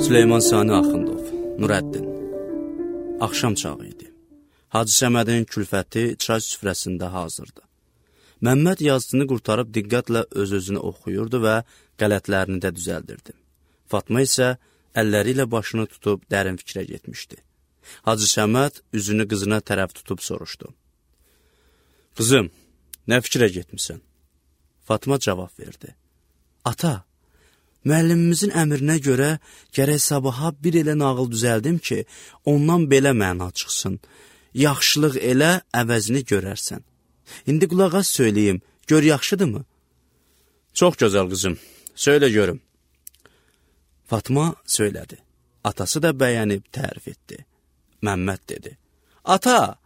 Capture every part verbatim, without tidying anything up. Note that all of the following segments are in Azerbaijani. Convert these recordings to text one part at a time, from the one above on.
Süleyman Sani Axundov, Nurəddin. Axşam çağı idi. Hacı Səmədin külfəti çay süfrəsində hazırdı. Məmməd yazısını qurtarıb diqqətlə öz-özünü oxuyurdu və qələtlərini də düzəldirdi. Fatma isə əlləri ilə başını tutub dərin fikrə getmişdi. Hacı Səməd üzünü qızına tərəf tutub soruşdu. Qızım, nə fikrə getmisən? Fatma cavab verdi. Ata, müəllimimizin əmrinə görə gərək sabaha bir elə nağıl düzəldim ki, ondan belə məna çıxsın. Yaxşılıq elə, əvəzini görərsən. İndi qulaq az söyləyim, gör yaxşıdırmı? Çox gözəl qızım, söylə görüm. Fatma söylədi. Atası da bəyənib tərif etdi. Məmməd dedi. Ata,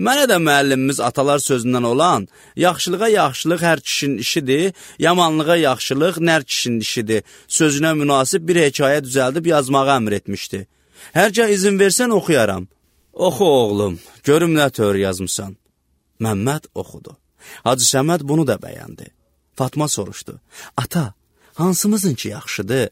mənə də müəllimimiz atalar sözündən olan, yaxşılığa yaxşılıq hər kişinin işidir, yamanlığa yaxşılıq nər kişinin işidir, sözünə münasib bir hekayə düzəldib yazmağa əmr etmişdi. Hərgah izin versən oxuyaram. Oxu oğlum, görüm nə tör yazmısan. Məmməd oxudu. Hacı Səməd bunu da bəyəndi. Fatma soruşdu. Ata, hansımızın ki yaxşıdır?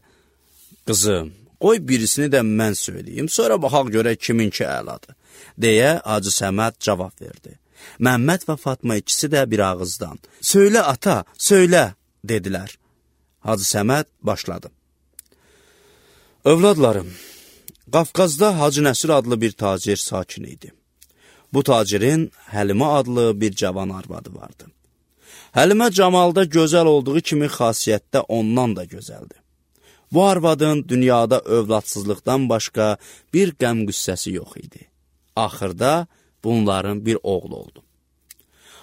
Qızım, qoy birisini də mən söyləyim, sonra baxaq görək kimin ki əladır. Deyə Hacı Səməd cavab verdi. Məmməd və Fatma ikisi də bir ağızdan. Söylə ata, söylə, dedilər. Hacı Səməd başladı. Övladlarım, Qafqazda Hacı Nəsir adlı bir tacir sakin idi. Bu tacirin Həlimə adlı bir cavan arvadı vardı. Həlimə camalda gözəl olduğu kimi xasiyyətdə ondan da gözəldir. Bu arvadın dünyada övladsızlıqdan başqa bir qəm-qüssəsi yox idi. Axırda bunların bir oğlu oldu.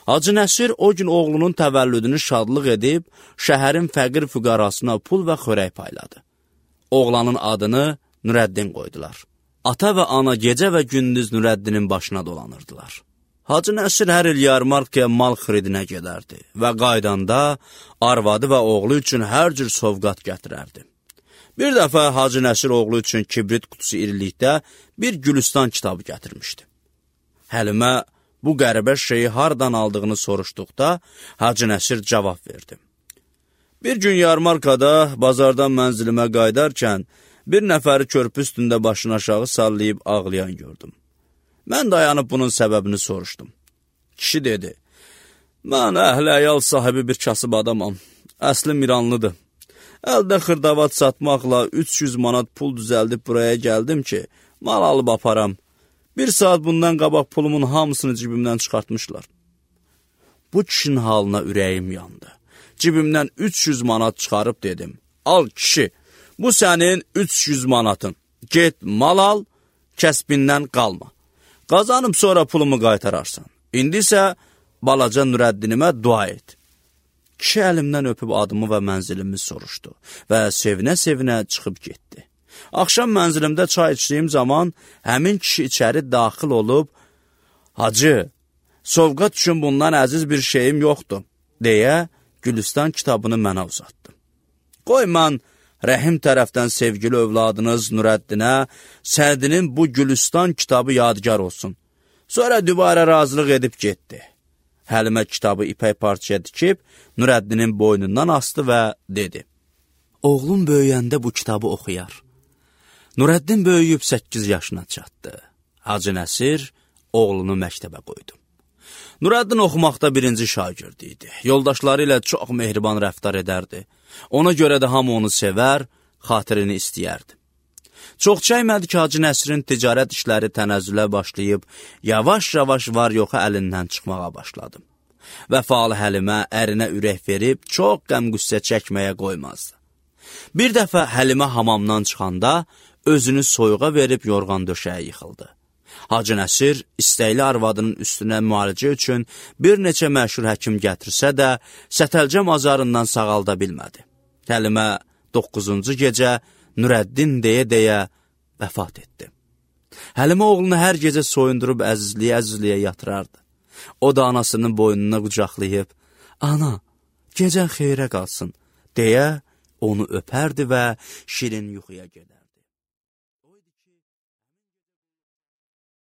Hacı Nəsir o gün oğlunun təvəllüdünü şadlıq edib, şəhərin fəqir füqarasına pul və xörək payladı. Oğlanın adını Nurəddin qoydular. Ata və ana gecə və gündüz Nurəddinin başına dolanırdılar. Hacı Nəsir hər il yarmarkaya mal xiridinə gedərdi və qaydanda arvadı və oğlu üçün hər cür sovqat gətirərdi. Bir dəfə Hacı Nəsir oğlu üçün kibrit qutusu irilikdə bir Gülüstan kitabı gətirmişdi. Həlimə bu qəribə şeyi hardan aldığını soruşduqda Hacı Nəsir cavab verdi. Bir gün yarmarkada bazardan mənzilimə qaydarkən bir nəfəri körpü üstündə başını aşağı sallayıb ağlayan gördüm. Mən dayanıb bunun səbəbini soruşdum. Kişi dedi, mən əhl-əyal sahibi bir kasıb adamam, əslim İranlıdır. Əldə xırdavat satmaqla üç yüz manat pul düzəldib buraya gəldim ki, mal alıb aparam. Bir saat bundan qabaq pulumun hamısını cibimdən çıxartmışlar. Bu kişinin halına ürəyim yandı. Cibimdən üç yüz manat çıxarıb dedim, al kişi, bu sənin üç yüz manatın. Get mal al, kəsbindən qalma. Qazanıb sonra pulumu qaytararsan. İndi isə balaca Nurəddinimə dua et. Kişi əlimdən öpüb adımı və mənzilimi soruşdu və sevinə-sevinə çıxıb getdi. Axşam mənzilimdə çay içdiyim zaman həmin kişi içəri daxil olub, Hacı, sovqat üçün bundan əziz bir şeyim yoxdur, deyə Gülüstan kitabını mənə uzatdı. Qoy mən Rəhim tərəfdən sevgili övladınız Nurəddinə Sədinin bu Gülüstan kitabı yadigar olsun. Sonra dübarə razılıq edib getdi. Həlimə kitabı ipək parçaya dikib Nurəddinin boynundan astı və dedi. Oğlum böyüyəndə bu kitabı oxuyar. Nurəddin böyüyüb səkkiz yaşına çatdı. Hacı Nəsir oğlunu məktəbə qoydu. Nurəddin oxumaqda birinci şagird idi. Yoldaşları ilə çox mehriban rəftar edərdi. Ona görə də hamı onu sevər, xatirini istəyərdi. Çox çəkmədi ki, Hacı Nəsirin ticarət işləri tənəzzülə başlayıb, yavaş-yavaş var-yoxa əlindən çıxmağa başladı. Vəfalı Həlimə ərinə ürək verib, çox qəm-qüssə çəkməyə qoymazdı. Bir dəfə Həlimə hamamdan çıxanda, özünü soyuğa verib yorğan döşəyə yıxıldı. Hacı Nəsir istəkli arvadının üstünə müalicə üçün bir neçə məşhur həkim gətirsə də, sətəlcəm azarından sağalda bilmədi. Həlimə doqquzuncu gecə Nurəddin deyə-deyə vəfat etdi. Həlimə oğlunu hər gecə soyundurub əzizliyə-əzizliyə yatırardı. O da anasının boynuna qucaqlayıb, ana, gecən xeyrə qalsın, deyə onu öpərdi və şirin yuxuya gedərdi.